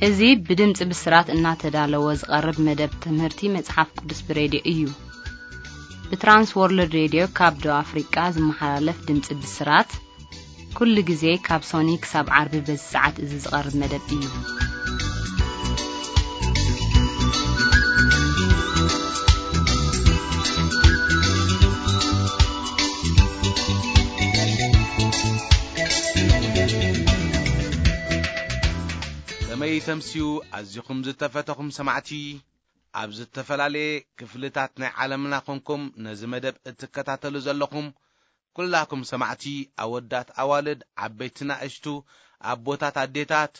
እዚ ብድምፂ ብስራት እናተዳለወ ዝቐርብ መደብ ትምህርቲ መጽሓፍ ቅዱስ ብሬድዮ እዩ። ብትራንስ ወርልድ ሬድዮ ካብ ደቡብ ኣፍሪቃ ዝመሓላለፍ ድምፂ ብስራት፣ ኩሉ ግዜ ካብ ሶኒ ክሳብ ዓርቢ በዚ ሰዓት እዚ ዝቐርብ መደብ እዩ። ከመይ ተምስዩ ኣዚኹም ዝተፈተኹም ሰማዕቲ፣ ኣብ ዝተፈላለየ ክፍልታት ናይ ዓለምና ኮንኩም ነዚ መደብ እትከታተሉ ዘለኹም ኩላኩም ሰማዕቲ፣ ኣወዳት ኣዋልድ፣ ዓበይቲ ናእሽቱ፣ ኣቦታት ኣዴታት፣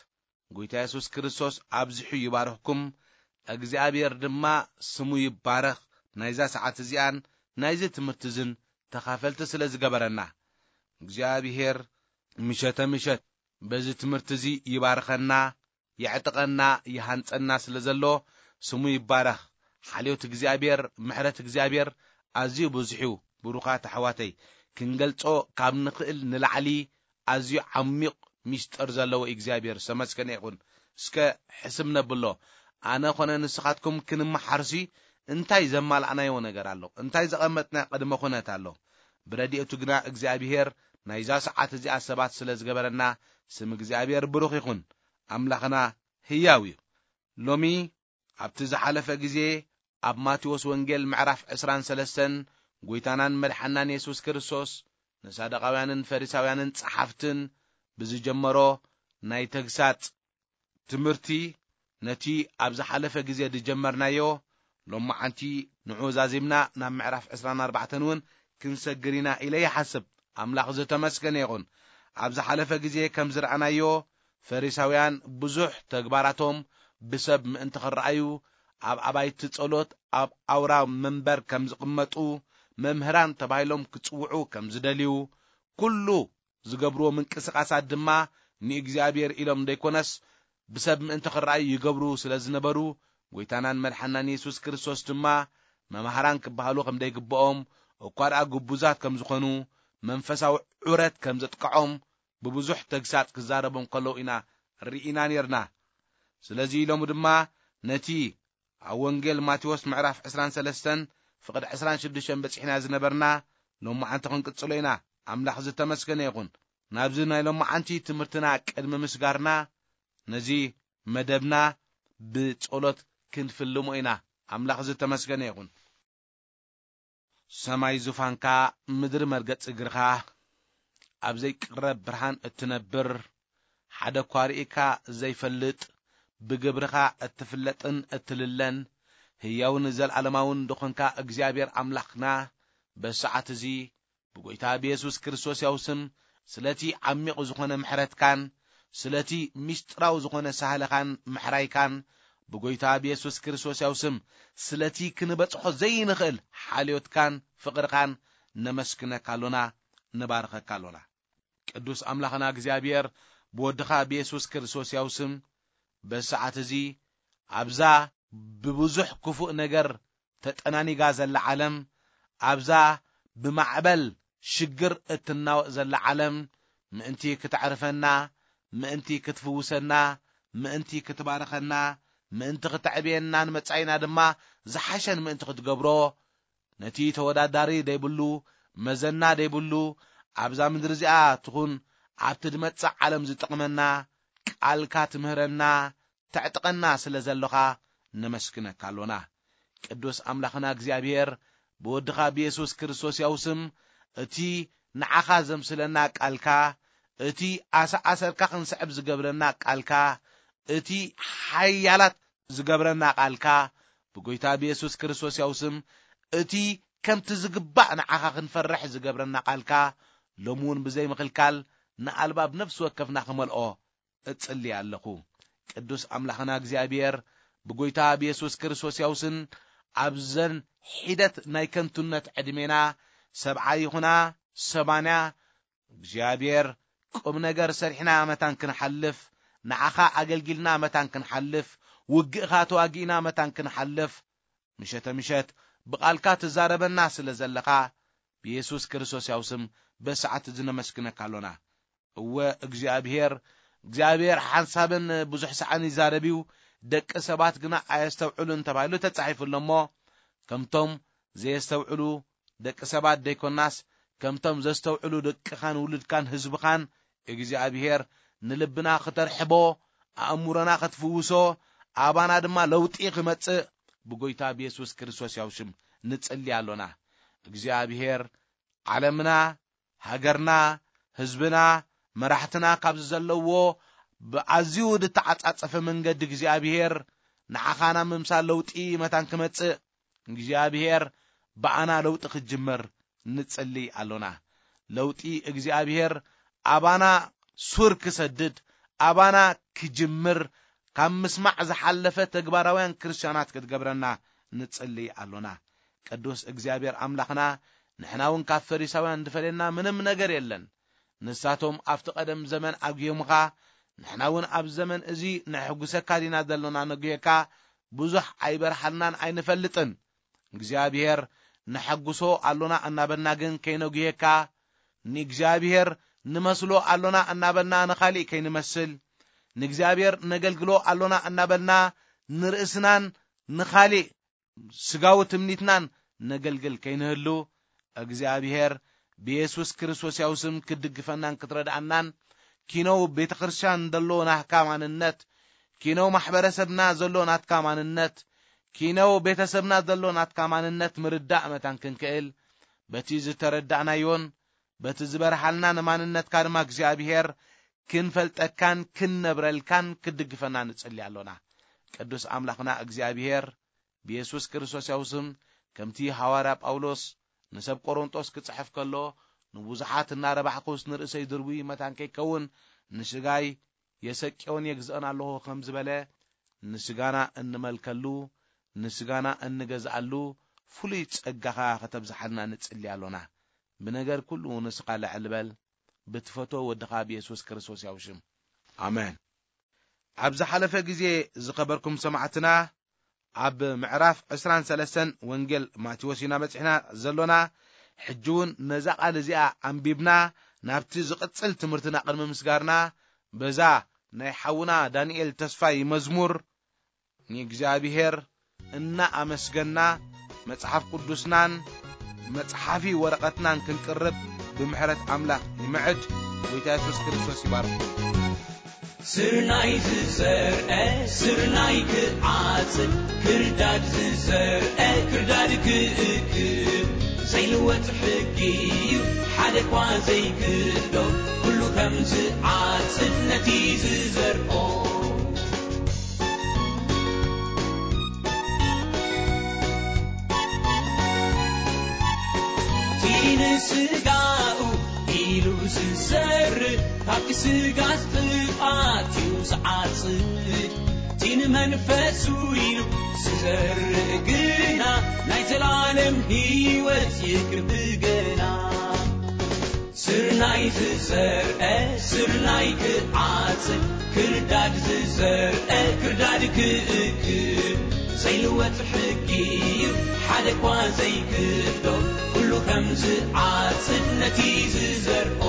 ጎይታ የሱስ ክርስቶስ ኣብዚሑ ይባርኽኩም። እግዚኣብሔር ድማ ስሙ ይባረኽ። ናይዛ ሰዓት እዚኣን ናይዚ ትምህርቲ እዝን ተኻፈልቲ ስለ ዝገበረና እግዚኣብሔር ምሸተ ምሸት በዚ ትምህርቲ እዚ ይባርኸና፣ የዕጥቀና፣ ይሃንጸና ስለ ዘሎ ስሙ ይባረኽ። ሓልዮት እግዚኣብሔር፣ ምሕረት እግዚኣብሔር ኣዝዩ ብዙሕ እዩ። ብሩኻት ኣሕዋተይ፣ ክንገልጾ ካብ ንኽእል ንላዕሊ ኣዝዩ ዓሚቕ ሚስጥር ዘለዎ እግዚኣብሔር ዝተመስገነ ይኹን። እስከ ሕስብ ነብሎ። ኣነ ኾነ ንስኻትኩም ክንመሓርሲ እንታይ ዘማላእናዮ ነገር ኣሎ? እንታይ ዘቐመጥና ቅድመ ኩነት ኣሎ? ብረድኤቱ ግና እግዚኣብሔር ናይዛ ሰዓት እዚኣ ሰባት ስለ ዝገበረና ስም እግዚኣብሔር ብሩኽ ይኹን። ኣምላኽና ህያው እዩ። ሎሚ ኣብቲ ዝሓለፈ ግዜ ኣብ ማቴዎስ ወንጌል ምዕራፍ ዕስራን ሰለስተን ጎይታናን መድሓናን የሱስ ክርስቶስ ንሳደቃውያንን ፈሪሳውያንን ጸሓፍትን ብዝጀመሮ ናይ ተግሳጽ ትምህርቲ ነቲ ኣብ ዝሓለፈ ግዜ ዝጀመርናዮ ሎማዓንቲ ንዑ ዛዚምና ናብ ምዕራፍ ዕስራን ኣርባዕተን እውን ክንሰግር ኢና ኢለ ይሓስብ። ኣምላኽ ዝተመስገነ ይኹን። ኣብ ዝሓለፈ ግዜ ከም ዝረኣናዮ ፈሪሳውያን ብዙሕ ተግባራቶም ብሰብ ምእንቲ ክረኣዩ ኣብ ኣባይቲ ጸሎት ኣብ ኣውራ መንበር ከም ዝቕመጡ መምህራን ተባሂሎም ክጽውዑ ከም ዝደልዩ ኩሉ ዝገብርዎ ምንቅስቓሳት ድማ ንእግዚኣብሔር ኢሎም ዘይኮነስ ብሰብ ምእንቲ ክረኣዩ ይገብሩ ስለ ዝነበሩ ጎይታናን መድሓናን የሱስ ክርስቶስ ድማ መማህራን ክበሃሉ ከም ዘይግብኦም እኳ ደኣ ግቡዛት ከም ዝኾኑ መንፈሳዊ ዑረት ከም ዘጥቅዖም ብብዙሕ ተግሳጽ ክዛረቦም ከለዉ ኢና ርኢና ነርና። ስለዚ ኢሎም ድማ ነቲ ኣብ ወንጌል ማቴዎስ ምዕራፍ ዕስራን ሰለስተን ፍቕድ ዕስራን ሽዱሽተን በጺሕና ዝነበርና ሎማዓንቲ ክንቅጽሎ ኢና። ኣምላኽ ዝተመስገነ ይኹን። ናብዚ ናይ ሎማዓንቲ ትምህርትና ቅድሚ ምስጋርና ነዚ መደብና ብጸሎት ክንፍልሞ ኢና። ኣምላኽ ዝተመስገነ ይኹን። ሰማይ ዙፋንካ፣ ምድሪ መርገጽ እግርኻ፣ ኣብ ዘይቅረብ ብርሃን እትነብር፣ ሓደ እኳ ርኢካ ዘይፈልጥ፣ ብግብርኻ እትፍለጥን እትልለን፣ ህያውን ዘለዓለማውን ዝኾንካ እግዚኣብሔር ኣምላኽና፣ በዚ ሰዓት እዚ ብጎይታ ብየሱስ ክርስቶስ ያው ስም፣ ስለቲ ዓሚቕ ዝኾነ ምሕረትካን፣ ስለቲ ምስጢራዊ ዝኾነ ሳህልኻን ምሕራይካን፣ ብጎይታ ብየሱስ ክርስቶስ ያው ስም፣ ስለቲ ክንበጽሖ ዘይንኽእል ሓልዮትካን ፍቕርኻን ነመስግነካ ኣሎና፣ ንባርኸካ ኣሎና። ቅዱስ ኣምላኽና እግዚኣብሔር፣ ብወድኻ ብየሱስ ክርስቶስ ያው ስም፣ በዚ ሰዓት እዚ ኣብዛ ብብዙሕ ክፉእ ነገር ተጠናኒጋ ዘላ ዓለም፣ ኣብዛ ብማዕበል ሽግር እትናወጥ ዘላ ዓለም፣ ምእንቲ ክተዕርፈና፣ ምእንቲ ክትፍውሰና፣ ምእንቲ ክትባርኸና፣ ምእንቲ ክተዕብየናን መጻኢና ድማ ዝሓሸን ምእንቲ ክትገብሮ፣ ነቲ ተወዳዳሪ ደይብሉ፣ መዘና ደይብሉ፣ ኣብዛ ምድሪ እዚኣ ትኹን ኣብቲ ዝመጽእ ዓለም ዝጠቕመና ቃልካ ትምህረና፣ ተዕጥቀና ስለ ዘሎኻ ነመስግነካ ኣሎና። ቅዱስ ኣምላኽና እግዚኣብሔር፣ ብወድኻ ብየሱስ ክርስቶስ ያው ስም፣ እቲ ንዓኻ ዘምስለና ቃልካ፣ እቲ ኣሰኣሰርካ ክንስዕብ ዝገብረና ቃልካ፣ እቲ ሓያላት ዝገብረና ቃልካ፣ ብጎይታ ብየሱስ ክርስቶስ ያው ስም፣ እቲ ከምቲ ዝግባእ ንዓኻ ክንፈርሕ ዝገብረና ቃልካ፣ ሎሚ እውን ብዘይ ምኽልካል ንኣልባብ ነፍሲ ወከፍና ክመልኦ እጽሊ ኣለኹ። ቅዱስ ኣምላኽና እግዚኣብሔር፣ ብጎይታ ብየሱስ ክርስቶስ ያው ስም፣ ኣብዘን ሒደት ናይ ከንቱነት ዕድሜና፣ ሰብዓ ይኹና ሰማንያ፣ እግዚኣብሔር፣ ቁም ነገር ሰሪሕና መታን ክንሓልፍ፣ ንዓኻ ኣገልጊልና መታን ክንሓልፍ፣ ውግእኻ ተዋጊእና መታን ክንሓልፍ፣ ምሸተ ምሸት ብቓልካ ትዛረበና ስለ ዘለኻ፣ ብየሱስ ክርስቶስ ያው ስም በሰዓት እዚ ነመስግነካ ኣሎና። እወ እግዚኣብሔር፣ እግዚኣብሔር ሓንሳብን ብዙሕ ሰዓን ይዛረብ እዩ፣ ደቂ ሰባት ግና ኣየስተውዕሉን ተባሂሉ ተጻሒፉ ኣሎ እሞ፣ ከምቶም ዘየስተውዕሉ ደቂ ሰባት ደይኮናስ፣ ከምቶም ዘስተውዕሉ ደቅኻን ውሉድካን ህዝብኻን እግዚኣብሔር ንልብና ክተርሕቦ፣ ኣእምሮና ክትፍውሶ፣ ኣባና ድማ ለውጢ ክመጽእ ብጎይታ ብየሱስ ክርስቶስ ያው ሽም ንጽሊ ኣሎና። እግዚኣብሔር ዓለምና፣ ሃገርና፣ ህዝብና፣ መራሕትና ካብዚ ዘለዎ ብኣዝዩ ዝተዓጻጸፈ መንገዲ እግዚኣብሔር ንዓኻና ምምሳል ለውጢ መታን ክመጽእ እግዚኣብሔር ብኣና ለውጢ ክጅምር ንጽሊ ኣሎና። ለውጢ እግዚኣብሔር ኣባና ሱር ክሰድድ፣ ኣባና ክጅምር፣ ካብ ምስማዕ ዝሓለፈ ተግባራውያን ክርስትያናት ክትገብረና ንጽሊ ኣሎና። ቅዱስ እግዚኣብሔር ኣምላኽና፣ ንሕና እውን ካብ ፈሪሳውያን ዝፈልየና ምንም ነገር የለን። ንሳቶም ኣብቲ ቀደም ዘመን ኣጉዮምኻ፣ ንሕና እውን ኣብ ዘመን እዚ ነሕጉሰካ ዲና ዘሎና ነጉየካ፣ ብዙሕ ኣይበርሃልናን ኣይንፈልጥን። እግዚኣብሔር ነሐጉሶ ኣሎና እናበልና ግን ከይነጉየካ፣ ንእግዚኣብሔር ንመስሎ ኣሎና እናበልና ንኻሊእ ከይንመስል፣ ንእግዚኣብሔር ነገልግሎ ኣሎና እናበልና ንርእስናን ንኻሊእ ስጋዊ ትምኒትናን ነገልግል ከይንህሉ፣ እግዚኣብሔር ብየሱስ ክርስቶስ ያው ስም ክድግፈናን ክትረድኣናን፣ ኪነው ቤተ ክርስቲያን ዘሎ ናትካ ማንነት፣ ኪነው ማሕበረሰብና ዘሎ ናትካ ማንነት፣ ኪነው ቤተሰብና ዘሎ ናትካ ማንነት ምርዳእ መታን ክንክእል፣ በቲ ዝተረዳእናዮን በቲ ዝበርሃልና ንማንነትካ ድማ እግዚኣብሔር ክንፈልጠካን ክንነብረልካን ክድግፈና ንጽሊ ኣሎና። ቅዱስ ኣምላኽና እግዚኣብሔር ብየሱስ ክርስቶስ ያው ስም፣ ከምቲ ሃዋርያ ጳውሎስ ንሰብ ቆሮንጦስ ክጽሕፍ ከሎ፣ ንብዙሓት እናረባሕኩስ ንርእሰይ ድርቡይ መታን ከይከውን ንስጋይ የሰቅዮን የግዝኦን ኣለኹ ከም ዝበለ፣ ንስጋና እንመልከሉ፣ ንስጋና እንገዝኣሉ ፍሉይ ጸጋኻ ከተብዝሓልና ንጽሊ ኣሎና። ብነገር ኩሉ ንስኻ ልዕል በል፣ ብትፈቶ ወድኻ ብየሱስ ክርስቶስ ያው ሽም። ኣሜን። ኣብ ዝሓለፈ ግዜ ዝኸበርኩም ሰማዕትና፣ ኣብ ምዕራፍ ዕስራን ሰለስተን ወንጌል ማቴዎስ ኢና በጺሕና ዘሎና። ሕጂ እውን ነዛ ቃል እዚኣ ኣንቢብና ናብቲ ዝቕጽል ትምህርትና ቅድሚ ምስጋርና፣ በዛ ናይ ሓውና ዳንኤል ተስፋይ መዝሙር ንእግዚኣብሔር እናኣመስገና፣ መጽሓፍ ቅዱስናን መጽሓፊ ወረቐትናን ክንቅርብ ብምሕረት ኣምላኽ ይምዕድ። ጎይታ የሱስ ክርስቶስ ይባርክ። ስርናይ ዝዘርአ ስርናይ ክዓጽድ፣ ክርዳድ ዝዘርአ ክርዳድ ክእክብ፣ ዘይልወጥ ሕጊ እዩ፣ ሓደ እኳ ዘይክዶ፣ ኩሉ ከም ዝዓጽድ ነቲ ዝዘርኦ። እቲ ንስጋኡ ኢሉ ዝዘርእ፣ ካብቲ ስጋ ጥፍኣት እዩ ዝዓጽድ። እቲ ንመንፈሱ ኢሉ ዝዘርእ ግና፣ ናይ ዘላለም ህይወት ይክብር ገና። ስርናይ ዝዘርአ ስርናይ ክዓጽድ፣ ክርዳድ ዝዘርአ ክርዳድ ክእክብ፣ ዘይልወጥ ሕጊ እዩ፣ ሓደ እኳ ዘይክዶ፣ ኩሉ ከም ዝዓጽድ ነቲ ዝዘርኦ።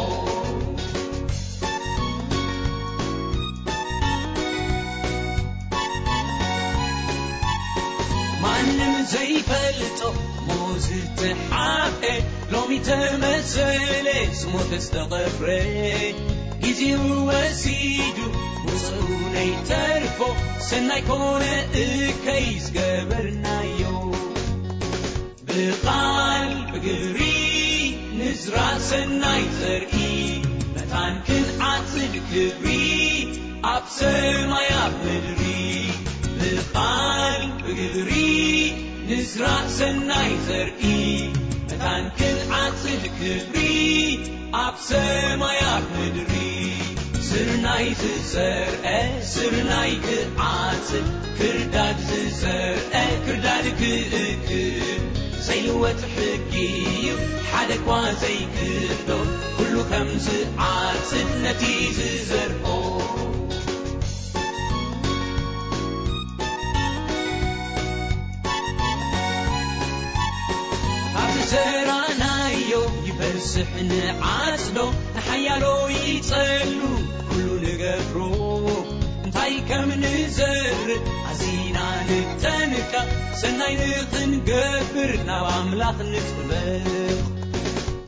ማንም ዘይፈልጦ ሞት ዝተሓብኤ፣ ሎሚ ተመሰለ፣ ዝሞተ ዝተቐብረ፣ ግዜኡ ወሲዱ፣ ውፅኡ ነይተርፎ፣ ሰናይ ኮነ እከይ ዝገበርናዮ። ብቓል ብግብሪ ንዝራእ ሰናይ ዘርኢ፣ መታን ክንዓጽድ ክብሪ፣ ኣብ ሰማይ ኣብ ምድሪ። ብቓል ብግብሪ ንዝራእ ሰናይ ዘርኢ፣ መታን ክንዓጽድ ክብሪ፣ ኣብ ሰማይ ኣብ ምድሪ። ስርናይ ዝዘርአ ስርናይ ክዓጽድ፣ ክርዳድ ዝዘርአ ክርዳድ ክእክብ፣ ዘይልወጥ ሕጊ እዩ፣ ሓደ እኳ ዘይክዶ፣ ኩሉ ከም ዝዓጽድ ነቲ ዝዘርኦ። ኣብ ዝዘራእናዮ ይበዝሕ ንዓጽዶ፣ ንሓያሎ ይጸሉ ኩሉ ንገብሮ። ሰናይ ንኽንገብር ናብ ኣምላኽ ንጥበቕ።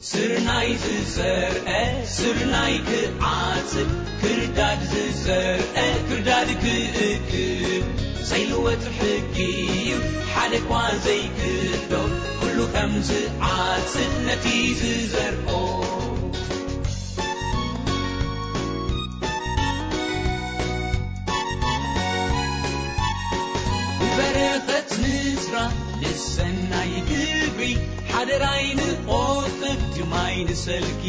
ስርናይ ዝዘርአ ስርናይ ክዓጽድ፣ ክርዳድ ዝዘርአ ክርዳድ ክእክብ። ዘይልወጥ ሕጊ እዩ፣ ሓደ እኳ ዘይክዶ። ኩሉ ከም ዝዓጽድ ነቲ ዝዘርኦ። ንበረኸት ንዝራ ንሰናይ ግብሪ፣ ሓደራይ ንቆጥብ ድማይ ንሰልኪ።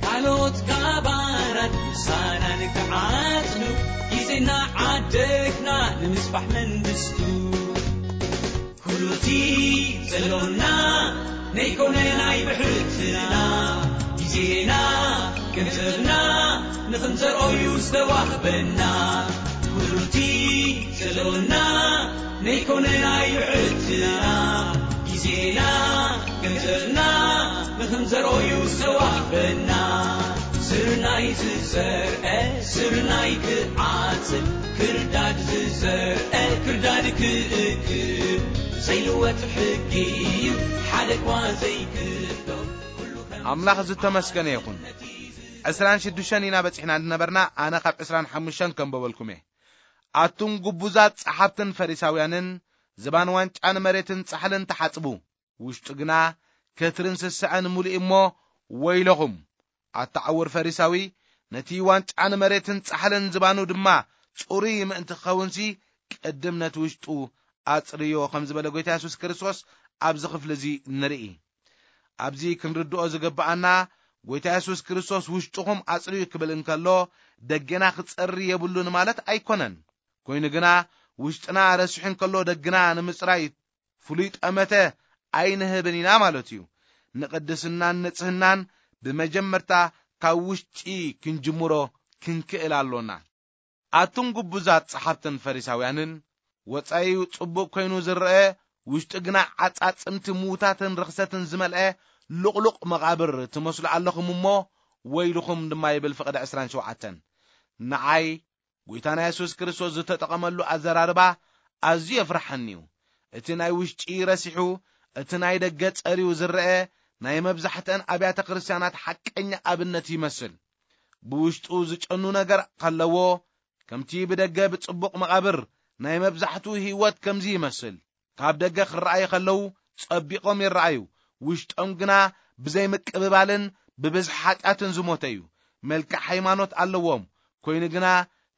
ካልኦት ካባናት ምሳና ንክዓጽዱ፣ ግዜና ዓደግና ንምስፋሕ መንግስቱ። ኩሉቲ ዘሎና ነይኮነ ናይ ብሕትና፣ ግዜና ገንዘብና ንኽንዘርኦዩ ዝተዋህበና። ኩሉቲ ዘሎና ነይኮነ ናይ ብሕትና፣ ግዜና ገንዘብና ንኽንዘርኦዩ ዝተዋህበና። ስርናይ ዝዘርአ ስርናይ ክዓጽድ፣ ክርዳድ ዝዘርአ ክርዳድ ክእክብ። ዘይልወጥ ሕጊ እዩ፣ ሓደ እኳ ዘይክዶ። ኣምላኽ ዝተመስገነ ይኹን። ዕስራን ሽዱሽተን ኢና በጺሕና እንነበርና፣ ኣነ ካብ ዕስራን ሓሙሽተን ከንበበልኩም እየ። ኣቱም ግቡዛት ጸሓፍትን ፈሪሳውያንን፣ ዝባን ዋንጫን መሬትን ጻሕልን ተሓጽቡ፣ ውሽጡ ግና ከትርን ስስዐን ምሉእ እሞ፣ ወይለኹም። ኣታ ዕውር ፈሪሳዊ፣ ነቲ ዋንጫን መሬትን ጻሕልን ዝባኑ ድማ ጽሩይ ምእንቲ ክኸውንሲ፣ ቅድም ነቲ ውሽጡ ኣጽርዮ ከም ዝበለ ጎይታ የሱስ ክርስቶስ ኣብዚ ክፍሊ እዚ ንርኢ። ኣብዚ ክንርድኦ ዝግብኣና፣ ጎይታ የሱስ ክርስቶስ ውሽጥኹም ኣጽርዩ ክብል እንከሎ፣ ደገና ክጸሪ የብሉን ማለት ኣይኮነን። ኮይኑ ግና፣ ውሽጥና ረሲሑ እንከሎ ደግና ንምጽራይ ፍሉይ ጠመተ ኣይንህብን ኢና ማለት እዩ። ንቅድስናን ንጽህናን ብመጀመርታ ካብ ውሽጢ ክንጅምሮ ክንክእል ኣሎና። ኣቱም ግቡዛት ጸሓፍትን ፈሪሳውያንን፣ ወጻኢኡ ጽቡቕ ኮይኑ ዝረአ፣ ውሽጡ ግና ዓጻጽምቲ ምዉታትን ርኽሰትን ዝመልአ ልቕሉቕ መቓብር ትመስሉ ኣለኹም እሞ፣ ወይልኹም ድማ ይብል ፍቕዲ ዕስራን ሸውዓተን። ንዓይ ጎይታና የሱስ ክርስቶስ ዝተጠቐመሉ ኣዘራርባ ኣዝዩ የፍርሓኒ እዩ። እቲ ናይ ውሽጢ ረሲሑ፣ እቲ ናይ ደገ ጸርዩ ዝረአ ናይ መብዛሕትአን ኣብያተ ክርስቲያናት ሓቀኛ ኣብነት ይመስል። ብውሽጡ ዝጨኑ ነገር ከለዎ፣ ከምቲ ብደገ ብጽቡቕ መቓብር ናይ መብዛሕትኡ ህይወት ከምዚ ይመስል። ካብ ደገ ክረኣዩ ከለዉ ጸቢቖም ይረኣዩ፣ ውሽጦም ግና ብዘይ ምቅብባልን ብብዝሒ ሓጢኣትን ዝሞተ እዩ። መልክዕ ሃይማኖት ኣለዎም፣ ኮይኑ ግና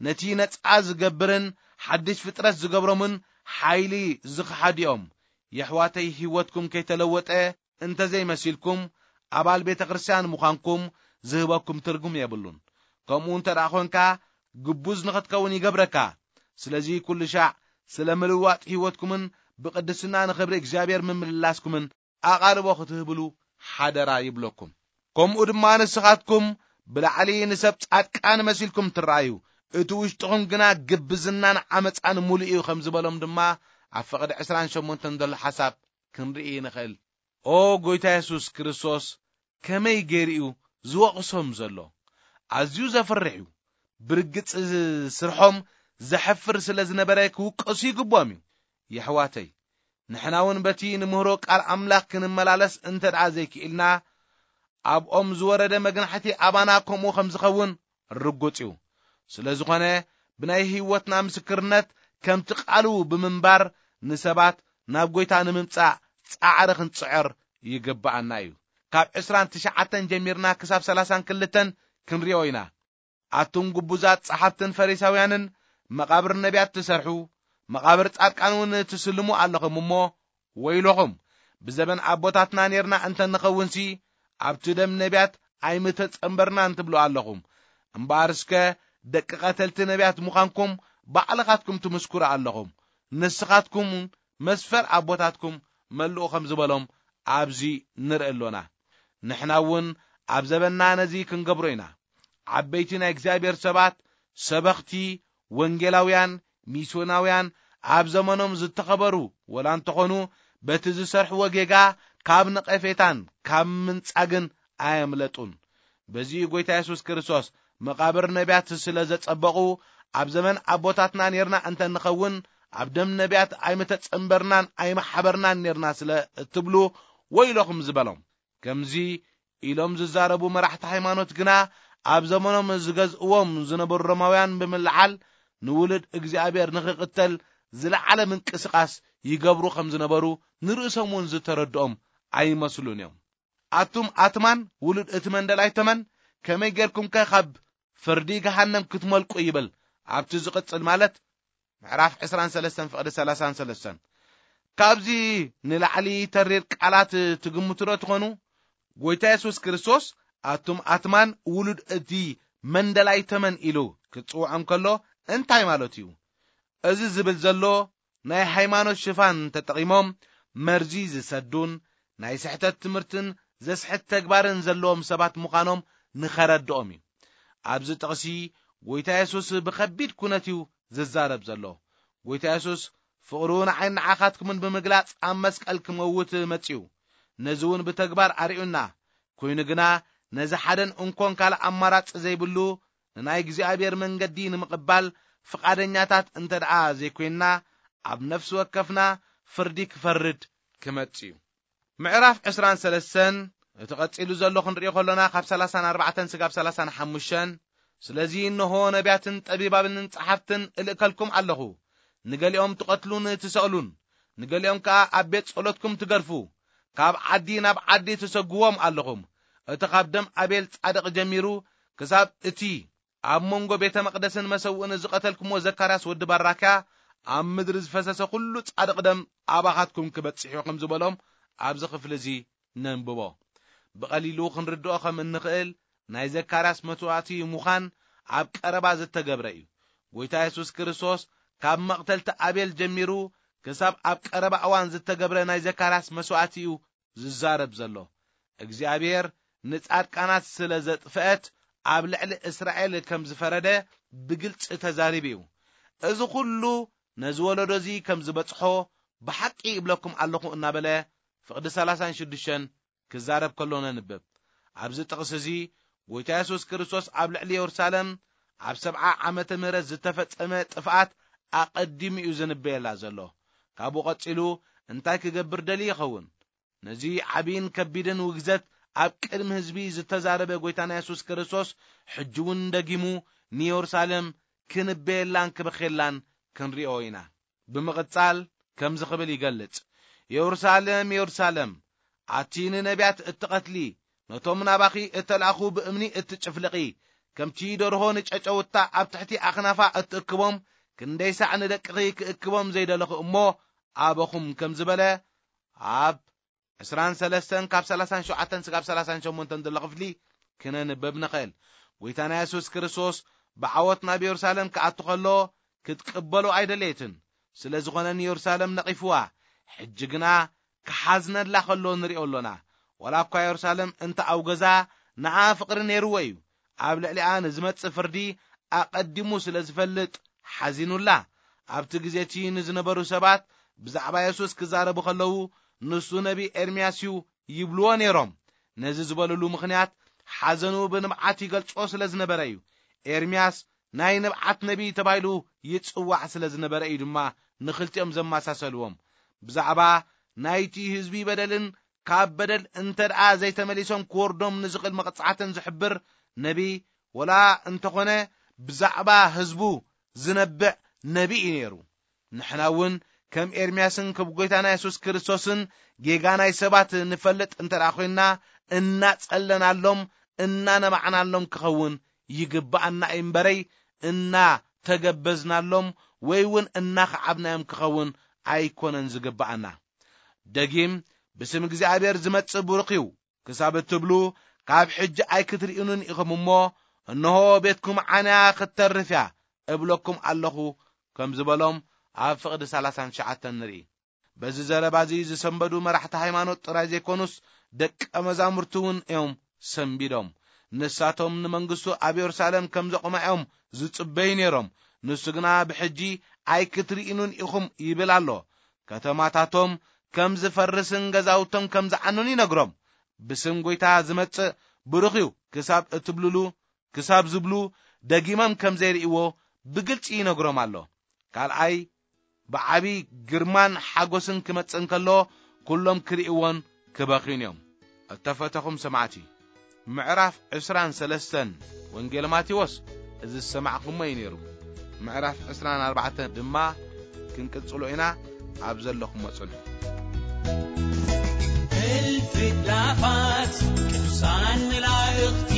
ነቲ ነጻ ዝገብርን ሓድሽ ፍጥረት ዝገብሮምን ሓይሊ ዝኸሓዱ እዮም። የሕዋተይ፣ ህይወትኩም ከይተለወጠ እንተ ዘይመሲልኩም፣ ኣባል ቤተ ክርስቲያን ምዃንኩም ዝህበኩም ትርጉም የብሉን። ከምኡ እንተ ደኣ ኾንካ፣ ግቡዝ ንኽትከውን ይገብረካ። ስለዚ ኩሉ ሻዕ ስለ ምልዋጥ ህይወትኩምን ብቅድስና ንኽብሪ እግዚኣብሔር ምምልላስኩምን ኣቓልቦ ክትህብሉ ሓደራ ይብለኩም። ከምኡ ድማ ንስኻትኩም ብላዕሊ ንሰብ ጻድቃን መሲልኩም ትረኣዩ፣ እቲ ውሽጥኹም ግና ግብዝናን ዓመጻን ምሉእ እዩ ከም ዝበሎም ድማ ኣብ ፍቕዲ ዕስራን ሸሞንተን ዘሎ ሓሳብ ክንርኢ ንኽእል። ኦ ጎይታ የሱስ ክርስቶስ ከመይ ገይሩ እዩ ዝወቕሶም ዘሎ? ኣዝዩ ዘፍርሕ እዩ። ብርግጽ ስርሖም ዘሕፍር ስለ ዝነበረ ክውቀሱ ይግብኦም እዩ። የሕዋተይ፣ ንሕና እውን በቲ ንምህሮ ቃል ኣምላኽ ክንመላለስ እንተ ደኣ ዘይክኢልና፣ ኣብኦም ዝወረደ መግናሕቲ ኣባና ከምኡ ከም ዝኸውን ርጉጽ እዩ። ስለ ዝኾነ፣ ብናይ ህይወትና ምስክርነት ከምቲ ቃሉ ብምንባር ንሰባት ናብ ጎይታ ንምምጻእ ጻዕሪ ክንጽዕር ይግብኣና እዩ። ካብ ዕስራን ትሽዓተን ጀሚርና ክሳብ ሰላሳን ክልተን ክንሪኦ ኢና። ኣቱም ግቡዛት ጸሓፍትን ፈሪሳውያንን፣ መቓብር ነቢያት ትሰርሑ፣ መቓብር ጻድቃን እውን ትስልሙ ኣለኹም እሞ፣ ወይለኹም! ብዘበን ኣቦታትና ኔርና እንተ ንኸውንሲ፣ ኣብቲ ደም ነቢያት ኣይምተጸንበርናን ትብሉ ኣለኹም። እምበኣር እስከ ደቂ ቀተልቲ ነቢያት ምዃንኩም ባዕልኻትኩም ትምስክሩ ኣለኹም። ንስኻትኩም መስፈር ኣቦታትኩም መልኡ ከም ዝበሎም ኣብዚ ንርኢ ኣሎና። ንሕና እውን ኣብ ዘበንና ነዚ ክንገብሮ ኢና። ዓበይቲ ናይ እግዚኣብሔር ሰባት፣ ሰበኽቲ፣ ወንጌላውያን፣ ሚስዮናውያን ኣብ ዘመኖም ዝተኸበሩ ወላ እንተኾኑ፣ በቲ ዝሰርሕዎ ጌጋ ካብ ነቐፌታን ካብ ምንጻግን ኣየምለጡን። በዚ ጎይታ የሱስ ክርስቶስ መቓብር ነቢያት ስለ ዘጸበቑ፣ ኣብ ዘመን ኣቦታትና ኔርና እንተ ንኸውን፣ ኣብ ደም ነቢያት ኣይምተጸንበርናን ኣይመሓበርናን ኔርና ስለ እትብሉ ወይለኹም ዝበሎም። ከምዚ ኢሎም ዝዛረቡ መራሕቲ ሃይማኖት ግና ኣብ ዘመኖም ዝገዝእዎም ዝነበሩ ሮማውያን ብምልዓል ንውሉድ እግዚኣብሔር ንኽቕተል ዝለዓለ ምንቅስቓስ ይገብሩ ከም ዝነበሩ ንርእሶም እውን ዝተረድኦም ኣይመስሉን እዮም። ኣቱም ኣትማን ውሉድ እቲ መንደላይ ተመን ከመይ ጌርኩምከ ካብ ፍርዲ ገሃነም ክትመልቁ ይብል ኣብቲ ዝቕጽል ማለት ምዕራፍ ዕስራን ሰለስተን ፍቕዲ ሰላሳን ሰለስተን። ካብዚ ንላዕሊ ተሪር ቃላት ትግምቱ ዶ ትኾኑ? ጎይታ የሱስ ክርስቶስ ኣቱም ኣትማን ውሉድ እቲ መንደላይ ተመን ኢሉ ክጽውዖም ከሎ እንታይ ማለት እዩ? እዚ ዝብል ዘሎ ናይ ሃይማኖት ሽፋን ተጠቒሞም መርዚ ዝሰዱን ናይ ስሕተት ትምህርትን ዘስሕት ተግባርን ዘለዎም ሰባት ምዃኖም ንኸረድኦም እዩ። ኣብዚ ጥቕሲ ጎይታ የሱስ ብኸቢድ ኩነት እዩ ዝዛረብ ዘሎ። ጎይታ የሱስ ፍቕሩ ንዓይን ንዓኻትኩምን ብምግላጽ ኣብ መስቀል ክመውት መጺኡ። ነዚ እውን ብተግባር ኣርእዩና። ኮይኑ ግና ነዚ ሓደን እንኮን ካልእ ኣማራጺ ዘይብሉ ንናይ እግዚኣብሔር መንገዲ ንምቕባል ፍቓደኛታት እንተ ደኣ ዘይኮይንና ኣብ ነፍሲ ወከፍና ፍርዲ ክፈርድ ክመጽእ እዩ። ምዕራፍ ዕስራን ሰለስተን እቲ ቐጺሉ ዘሎ ክንሪኦ ከሎና ካብ ሰላሳን ኣርባዕተን ስጋብ ሰላሳን ሓሙሽተን ስለዚ እንሆ ነቢያትን ጠቢባብንን ጸሓፍትን እልእከልኩም ኣለኹ። ንገሊኦም ትቐትሉን ትሰቕሉን፣ ንገሊኦም ከኣ ኣብ ቤት ጸሎትኩም ትገድፉ፣ ካብ ዓዲ ናብ ዓዲ ትሰግዎም ኣለኹም። እቲ ካብ ደም ኣቤል ጻድቕ ጀሚሩ ክሳብ እቲ ኣብ መንጎ ቤተ መቕደስን መሰውእን ዝቐተልኩምዎ ዘካርያስ ወዲ ባራክያ ኣብ ምድሪ ዝፈሰሰ ኩሉ ጻድቕ ደም ኣባኻትኩም ክበጽሕ እዩ ከም ዝበሎም ኣብዚ ክፍሊ እዚ ነንብቦ። ብቐሊሉ ክንርድኦ ከም እንኽእል ናይ ዘካርያስ መስዋእቲ ምዃን ኣብ ቀረባ ዝተገብረ እዩ። ጎይታ የሱስ ክርስቶስ ካብ መቕተልቲ ኣቤል ጀሚሩ ክሳብ ኣብ ቀረባ እዋን ዝተገብረ ናይ ዘካርያስ መስዋእቲ እዩ ዝዛረብ ዘሎ። እግዚኣብሔር ንጻድቃናት ስለ ዘጥፍአት ኣብ ልዕሊ እስራኤል ከም ዝፈረደ ብግልጺ ተዛሪቡ እዩ። እዚ ኩሉ ነዚ ወለዶ እዚ ከም ዝበጽሖ ብሓቂ ይብለኩም ኣለኹ እናበለ ፍቕዲ ሰላሳን ሽዱሽተን ክዛረብ ከሎ ነንብብ። ኣብዚ ጥቕሲ እዚ ጎይታ የሱስ ክርስቶስ ኣብ ልዕሊ የሩሳሌም ኣብ ሰብዓ ዓመተ ምህረት ዝተፈጸመ ጥፍኣት ኣቐዲሙ እዩ ዝንበየላ ዘሎ። ካብኡ ቀጺሉ እንታይ ክገብር ደልዩ ይኸውን? ነዚ ዓቢን ከቢድን ውግዘት ኣብ ቅድሚ ህዝቢ ዝተዛረበ ጎይታና የሱስ ክርስቶስ ሕጂ እውን ደጊሙ ንየሩሳሌም ክንበየላን ክበኽየላን ክንሪኦ ኢና። ብምቕጻል ከምዚ ክብል ይገልጽ፣ የሩሳሌም፣ የሩሳሌም፣ ኣቲ ንነቢያት እትቐትሊ፣ ነቶም ናባኺ እተላእኹ ብእምኒ እትጭፍልቒ፣ ከምቲ ደርሆ ንጨጨውታ ኣብ ትሕቲ ኣኽናፋ እትእክቦም፣ ክንደይ ሳዕ ንደቅኺ ክእክቦም ዘይደለኹ እሞ ኣበኹም ከም ዝበለ ኣብ ዕስራን ሰለስተን ካብ ሰላሳን ሸውዓተን ስጋብ ሰላሳን ሸሞንተን ዘሎ ክፍሊ ክነንበብ ንኽእል። ጎይታና የሱስ ክርስቶስ ብዓወት ናብ የሩሳሌም ክኣቱ ከሎ ክትቅበሎ ኣይደለየትን። ስለ ዝኾነ ንየሩሳሌም ነቒፍዋ። ሕጂ ግና ክሓዝነላ ከሎ ንሪኦ ኣሎና። ዋላ እኳ የሩሳሌም እንተ ኣውገዛ ንዓ ፍቕሪ ነይርዎ እዩ። ኣብ ልዕሊኣ ንዝመጽእ ፍርዲ ኣቐዲሙ ስለ ዝፈልጥ ሓዚኑላ። ኣብቲ ግዜ እቲ ንዝነበሩ ሰባት ብዛዕባ የሱስ ክዛረቡ ከለዉ ንሱ ነቢ ኤርምያስ እዩ ይብልዎ ነይሮም። ነዚ ዝበልሉ ምኽንያት ሓዘኑ ብንብዓት ይገልጾ ስለ ዝነበረ እዩ። ኤርምያስ ናይ ንብዓት ነቢይ ተባሂሉ ይጽዋዕ ስለ ዝነበረ እዩ ድማ ንኽልቲኦም ዘመሳሰልዎም። ብዛዕባ ናይቲ ህዝቢ በደልን ካብ በደል እንተ ደኣ ዘይተመሊሶም ክወርዶም ንዝኽእል መቕጻዕትን ዝሕብር ነቢይ ወላ እንተኾነ ብዛዕባ ህዝቡ ዝነብዕ ነቢይ እዩ ነይሩ። ንሕና እውን ከም ኤርምያስን ከም ጎይታና የሱስ ክርስቶስን ጌጋ ናይ ሰባት ንፈልጥ እንተ ደኣ ኮይንና እናጸለናሎም እናነባዕናሎም ክኸውን ይግብኣና እዩ እምበረይ እናተገበዝናሎም ወይ እውን እናኸዓብናዮም ክኸውን ኣይኮነን ዝግብኣና። ደጊም ብስም እግዚኣብሔር ዝመጽእ ብሩኽ እዩ ክሳብ እትብሉ ካብ ሕጂ ኣይክትርእዩንን ኢኹም እሞ እንሆ ቤትኩም ዓንያ ክትተርፍ እያ እብለኩም ኣለኹ ከም ዝበሎም ኣብ ፍቕዲ ሰላሳን ትሽዓተን ንርኢ። በዚ ዘረባ እዚ ዝሰንበዱ መራሕቲ ሃይማኖት ጥራይ ዘይኮኑስ ደቀ መዛሙርቲ እውን እዮም ሰንቢዶም። ንሳቶም ንመንግስቱ ኣብ የሩሳሌም ከም ዘቑማ እዮም ዝጽበዩ ነይሮም። ንሱ ግና ብሕጂ ኣይክትርእዩንን ኢኹም ይብል ኣሎ። ከተማታቶም ከም ዝፈርስን ገዛውቶም ከም ዝዓኑን ይነግሮም። ብስም ጎይታ ዝመጽእ ብሩኽ እዩ ክሳብ እትብልሉ ክሳብ ዝብሉ ደጊሞም ከም ዘይርእይዎ ብግልጺ ይነግሮም ኣሎ። ካልኣይ ብዓቢ ግርማን ሓጎስን ክመጽእ እንከሎ፣ ኩሎም ክርእይዎን ክበኽዩን እዮም። እተፈተኹም ሰማዕቲ፣ ምዕራፍ ዕስራን ሰለስተን ወንጌል ማቴዎስ እዚ ዝሰማዕኹሞ እዩ ነይሩ። ምዕራፍ ዕስራን ኣርባዕተን ድማ ክንቅጽሎ ኢና። ኣብ ዘለኹሞ ጽንሑ። እልፊ ኣእላፋት ቅዱሳን መላእኽቲ፣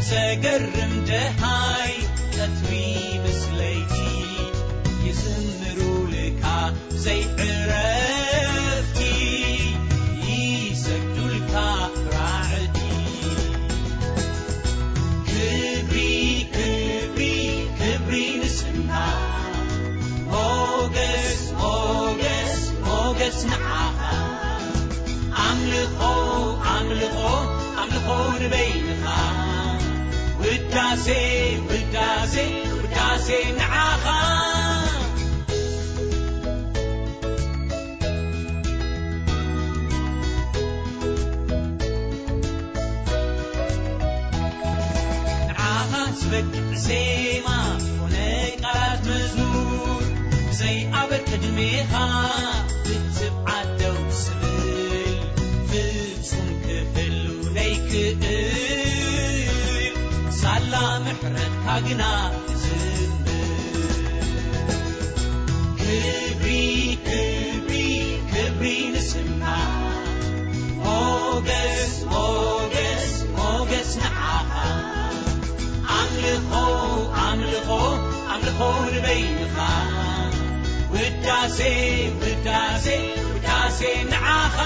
ዘገርም ደሃይ ቀትሪ ምስ ለይቲ፣ ይዝምሩልካ ዘይዕረፍቲ፣ ይሰግዱልካ ራዕዲ። ክብሪ፣ ክብሪ፣ ክብሪ ንስምካ። ሞገስ፣ ሞገስ፣ ሞገስ ንዓኻ። ኣምልኾ፣ ኣምልኾ፣ ኣምልኾ ንበይንኻ። ውዳሴ፣ ውዳሴ፣ ውዳሴ ንዓኻ። ንዓኻ ዝበቅዕ ዜማ ኮነ ቃላት መዝሙር፣ ብዘይ ኣበር ቅድሜኻ ብትብዓት ደው ዝብል፣ ፍጹም ክህሉ ዘይክእል፣ ሳላ ምሕረትካ ግና ዝዝምር። ክብሪ፣ ክብሪ፣ ክብሪ ንስምካ። ሞገስ፣ ሞገስ፣ ሞገስ ንዓኻ። ኣምልኾ፣ ኣምልኾ፣ ኣምልኾ ንበይንኻ። ውዳሴ፣ ውዳሴ፣ ውዳሴ ንዓኻ።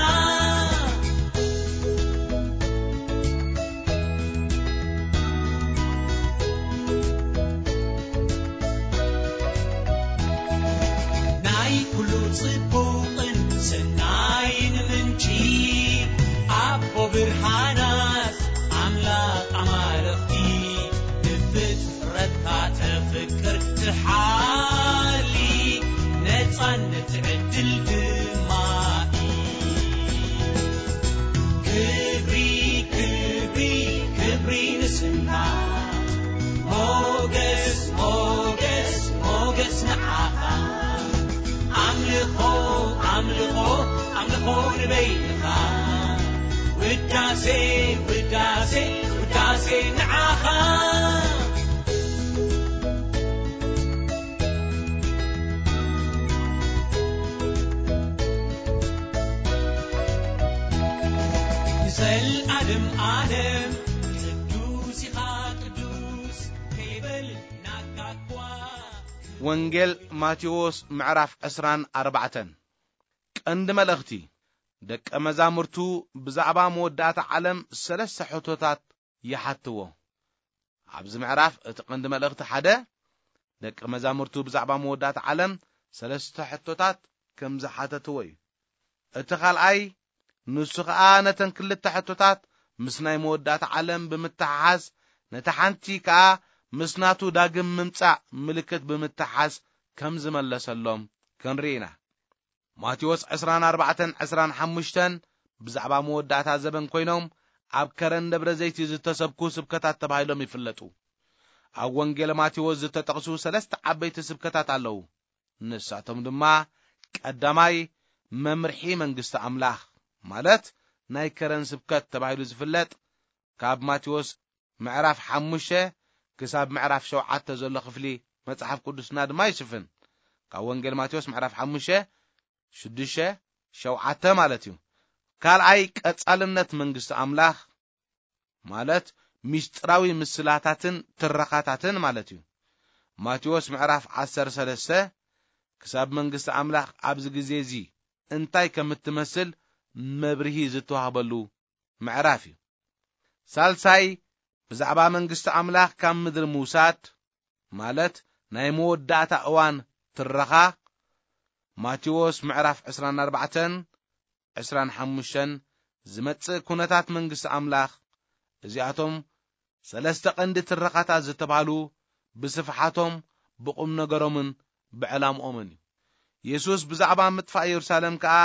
ናይ ኩሉ ጽቡቕን ሰናይን ምንጪ፣ ኣቦ ብርሃናት ኣምላኽ ኣማልኽቲ፣ ብፍጥረትካ ተፍቅር ትሓሊ፣ ነጻነት ዕድል ድማ ክብሪ፣ ክብሪ፣ ክብሪ ንስምካ። ሞገስ፣ ሞገስ፣ ሞገስ ንዓኻ። ኣምልኾ፣ ኣምልኾ፣ ኣምልኾ ንበይንኻ። ውዳሴ፣ ውዳሴ፣ ውዳሴ ንዓኻ። ንዘልኣለም ኣለም ቅዱስ ኢኻ ቅዱስ ከይበል ናጋኳ። ወንጌል ማቴዎስ ምዕራፍ ዕስራን ኣርባዕተን። ቀንዲ መልእኽቲ፣ ደቀ መዛሙርቱ ብዛዕባ መወዳእታ ዓለም ሰለስተ ሕቶታት ይሓትዎ። ኣብዚ ምዕራፍ እቲ ቀንዲ መልእኽቲ ሓደ፣ ደቀ መዛሙርቱ ብዛዕባ መወዳእታ ዓለም ሰለስተ ሕቶታት ከም ዝሓተትዎ እዩ። እቲ ካልኣይ፣ ንሱ ኸኣ ነተን ክልተ ሕቶታት ምስ ናይ መወዳእታ ዓለም ብምትሓሓዝ፣ ነታ ሓንቲ ከኣ ምስ ናቱ ዳግም ምምጻእ ምልክት ብምትሓዝ ከም ዝመለሰሎም ክንርኢ ኢና። ማቴዎስ ዕስራን ኣርባዕተን ዕስራን ሓሙሽተን ብዛዕባ መወዳእታ ዘበን ኮይኖም ኣብ ከረን ደብረ ዘይቲ ዝተሰብኩ ስብከታት ተባሂሎም ይፍለጡ። ኣብ ወንጌል ማቴዎስ ዝተጠቕሱ ሰለስተ ዓበይቲ ስብከታት ኣለዉ። ንሳቶም ድማ ቀዳማይ መምርሒ መንግስቲ ኣምላኽ ማለት ናይ ከረን ስብከት ተባሂሉ ዝፍለጥ ካብ ማቴዎስ ምዕራፍ ሓሙሽተ ክሳብ ምዕራፍ ሸውዓተ ዘሎ ክፍሊ መጽሓፍ ቅዱስና ድማ ይሽፍን። ካብ ወንጌል ማቴዎስ ምዕራፍ ሓሙሽተ ሽዱሽተ ሸውዓተ ማለት እዩ። ካልኣይ ቀጻልነት መንግስቲ ኣምላኽ ማለት ምስጢራዊ ምስላታትን ትረኻታትን ማለት እዩ። ማቴዎስ ምዕራፍ ዓሰርተ ሰለስተ ክሳብ መንግስቲ ኣምላኽ ኣብዚ ግዜ እዚ እንታይ ከም እትመስል መብርሂ ዝተዋህበሉ ምዕራፍ እዩ። ሳልሳይ ብዛዕባ መንግስቲ ኣምላኽ ካብ ምድሪ ምውሳድ ማለት ናይ መወዳእታ እዋን ትረኻ ማቴዎስ ምዕራፍ ዕስራን ኣርባዕተን ዕስራን ሓሙሽተን ዝመጽእ ኩነታት መንግስቲ ኣምላኽ። እዚኣቶም ሰለስተ ቀንዲ ትረኻታት ዝተባህሉ ብስፍሓቶም ብቁም ነገሮምን ብዕላምኦምን እዩ። የሱስ ብዛዕባ ምጥፋእ የሩሳሌም ከኣ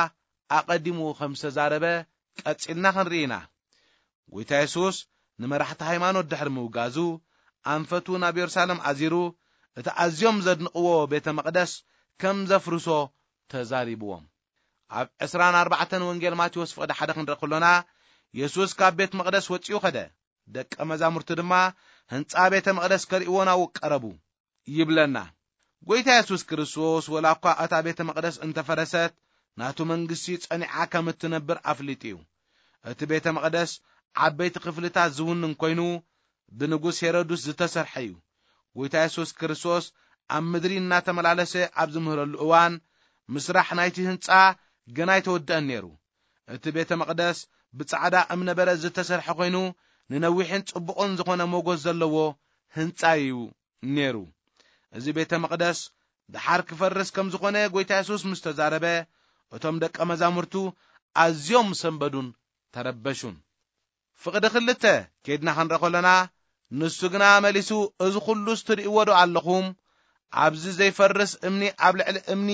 ኣቐዲሙ ከም ዝተዛረበ ቀጺልና ክንርኢ ኢና። ጎይታ የሱስ ንመራሕቲ ሃይማኖት ድሕሪ ምውጋዙ ኣንፈቱ ናብ የሩሳሌም ኣዚሩ እቲ ኣዝዮም ዘድንቕዎ ቤተ መቕደስ ከም ዘፍርሶ ተዛሪብዎም። ኣብ ዕስራን ኣርባዕተን ወንጌል ማቴዎስ ፍቕዲ ሓደ ክንርኢ ከሎና፣ የሱስ ካብ ቤት መቕደስ ወጺኡ ኸደ። ደቀ መዛሙርቱ ድማ ህንጻ ቤተ መቕደስ ከርእይዎ ናብኡ ቀረቡ ይብለና። ጐይታ የሱስ ክርስቶስ ወላ እኳ እታ ቤተ መቕደስ እንተፈረሰት፣ ናቱ መንግስቲ ጸኒዓ ከም እትነብር ኣፍሊጡ እዩ። እቲ ቤተ መቕደስ ዓበይቲ ክፍልታት ዝውንን ኮይኑ፣ ብንጉስ ሄሮድስ ዝተሰርሐ እዩ። ጐይታ የሱስ ክርስቶስ ኣብ ምድሪ እናተመላለሰ ኣብ ዝምህረሉ እዋን፣ ምስራሕ ናይቲ ህንጻ ገና ኣይተወደአን ነይሩ። እቲ ቤተ መቕደስ ብጻዕዳ እምነበረድ ዝተሰርሐ ኮይኑ፣ ንነዊሕን ጽቡቕን ዝኾነ ሞገስ ዘለዎ ህንጻ እዩ ነይሩ። እዚ ቤተ መቕደስ ደሓር ክፈርስ ከም ዝኾነ ጐይታ የሱስ ምስ ተዛረበ፣ እቶም ደቀ መዛሙርቱ ኣዝዮም ሰንበዱን ተረበሹን። ፍቕዲ ክልተ ኬድና ክንርኢ ከሎና፣ ንሱ ግና መሊሱ፣ "እዚ ኹሉስ ትርእይዎ ዶ ኣለኹም? ኣብዚ ዘይፈርስ እምኒ ኣብ ልዕሊ እምኒ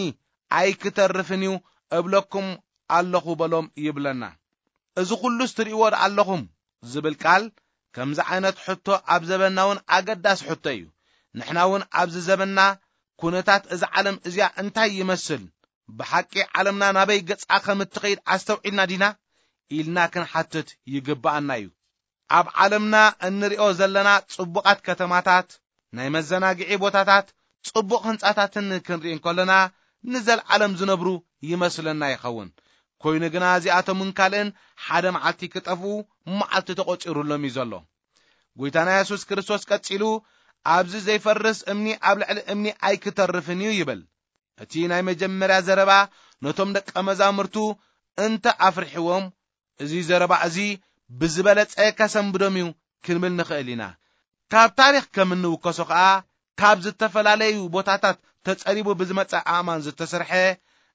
ኣይክተርፍን እዩ እብለኩም ኣለኹ" በሎም ይብለና። "እዚ ኹሉስ ትርእይዎ ዶ ኣለኹም?" ዝብል ቃል ከምዚ ዓይነት ሕቶ ኣብ ዘበንና እውን ኣገዳሲ ሕቶ እዩ። ንሕና እውን ኣብዚ ዘበንና ኩነታት እዛ ዓለም እዚኣ እንታይ ይመስል? ብሓቂ ዓለምና ናበይ ገጻ ከም እትኸይድ ኣስተውዒልና ዲና? ኢልና ክንሓትት ይግብኣና እዩ። ኣብ ዓለምና እንሪኦ ዘለና ጽቡቓት ከተማታት፣ ናይ መዘናግዒ ቦታታት፣ ጽቡቕ ህንጻታትን ክንርኢ እንከለና፣ ንዘለዓለም ዝነብሩ ይመስለና ይኸውን። ኮይኑ ግና እዚኣቶምን ካልእን ሓደ መዓልቲ ክጠፍኡ መዓልቲ ተቖጺሩሎም እዩ ዘሎ። ጐይታና የሱስ ክርስቶስ ቀጺሉ፣ "ኣብዚ ዘይፈርስ እምኒ ኣብ ልዕሊ እምኒ ኣይክተርፍን እዩ" ይብል። እቲ ናይ መጀመርያ ዘረባ ነቶም ደቀ መዛሙርቱ እንተ ኣፍርሕዎም፣ እዚ ዘረባ እዚ ብዝበለጸ ከሰንብዶም እዩ ክንብል ንኽእል ኢና። ካብ ታሪኽ ከም እንውከሶ ኸኣ፣ ካብ ዝተፈላለዩ ቦታታት ተጸሪቡ ብዝመጸ ኣእማን ዝተሰርሐ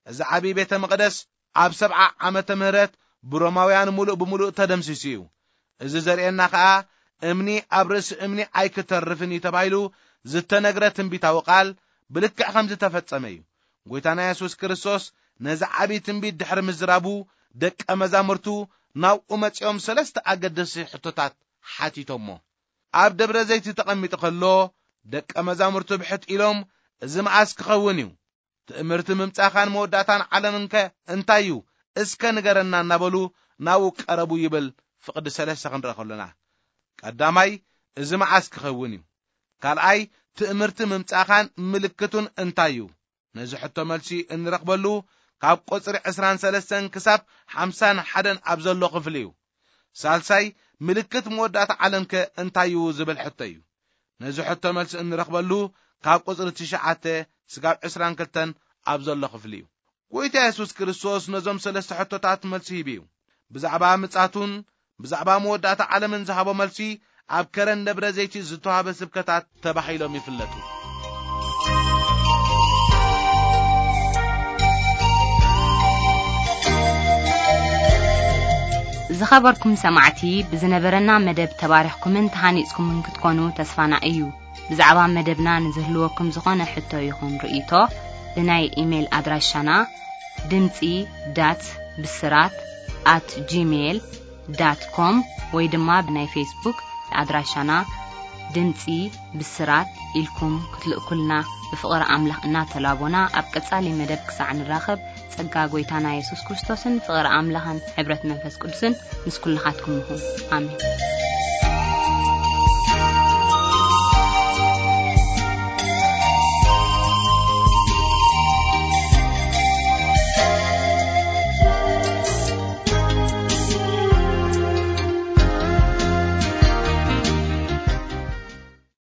እዚ ዓቢ ቤተ መቕደስ ኣብ ሰብዓ ዓመተ ምህረት ብሮማውያን ምሉእ ብምሉእ ተደምሲሱ እዩ። እዚ ዘርእየና ኸኣ፣ እምኒ ኣብ ርእሲ እምኒ ኣይክተርፍን እዩ ተባሂሉ ዝተነግረ ትንቢታዊ ቃል ብልክዕ ከም ዝተፈጸመ እዩ። ጐይታና የሱስ ክርስቶስ ነዚ ዓቢ ትንቢት ድሕሪ ምዝራቡ፣ ደቀ መዛሙርቱ ናብኡ መጺኦም ሰለስተ ኣገደስቲ ሕቶታት ሓቲቶሞ። ኣብ ደብረ ዘይት ተቐሚጡ ከሎ፣ ደቀ መዛሙርቱ ብሕት ኢሎም፣ "እዚ መዓስ ክኸውን እዩ? ትእምርቲ ምምጻኻን መወዳእታን ዓለምንከ እንታይ እዩ? እስከ ንገረና" እናበሉ ናብኡ ቀረቡ ይብል ፍቕዲ ሰለስተ ክንርኢ ከሎና። ቀዳማይ፣ "እዚ መዓስ ክኸውን እዩ?" ካልኣይ፣ "ትእምርቲ ምምጻኻን ምልክቱን እንታይ እዩ?" ነዚ ሕቶ መልሲ እንረኽበሉ ካብ ቁጽሪ ዕስራን ሰለስተን ክሳብ ሓምሳን ሓደን ኣብ ዘሎ ክፍሊ እዩ። ሳልሳይ፣ "ምልክት መወዳእታ ዓለምከ እንታይ እዩ?" ዝብል ሕቶ እዩ። ነዚ ሕቶ መልሲ እንረኽበሉ ካብ ቁጽሪ ትሽዓተ ስጋብ ዕስራን ክልተን ኣብ ዘሎ ክፍሊ እዩ። ጐይታ የሱስ ክርስቶስ ነዞም ሰለስተ ሕቶታት መልሲ ሂቡ እዩ። ብዛዕባ ምጻቱን ብዛዕባ መወዳእታ ዓለምን ዝሃቦ መልሲ ኣብ ከረን ደብረ ዘይቲ ዝተዋህበ ስብከታት ተባሂሎም ይፍለጡ። ዝኸበርኩም ሰማዕቲ፣ ብዝነበረና መደብ ተባሪኽኩምን ተሃኒጽኩምን ክትኮኑ ተስፋና እዩ። ብዛዕባ መደብና ንዝህልወኩም ዝኾነ ሕቶ ይኹን ርእይቶ፣ ብናይ ኢሜይል ኣድራሻና ድምጺ ዳት ብስራት ኣት ጂሜይል ዳት ኮም ወይ ድማ ብናይ ፌስቡክ ኣድራሻና ድምጺ ብስራት ኢልኩም ክትልእኩልና ብፍቕሪ ኣምላኽ እናተላቦና፣ ኣብ ቀጻሊ መደብ ክሳዕ ንራኸብ፣ ጸጋ ጐይታና የሱስ ክርስቶስን ፍቕሪ ኣምላኽን ሕብረት መንፈስ ቅዱስን ምስ ኩልኻትኩም ይኹን። ኣሜን።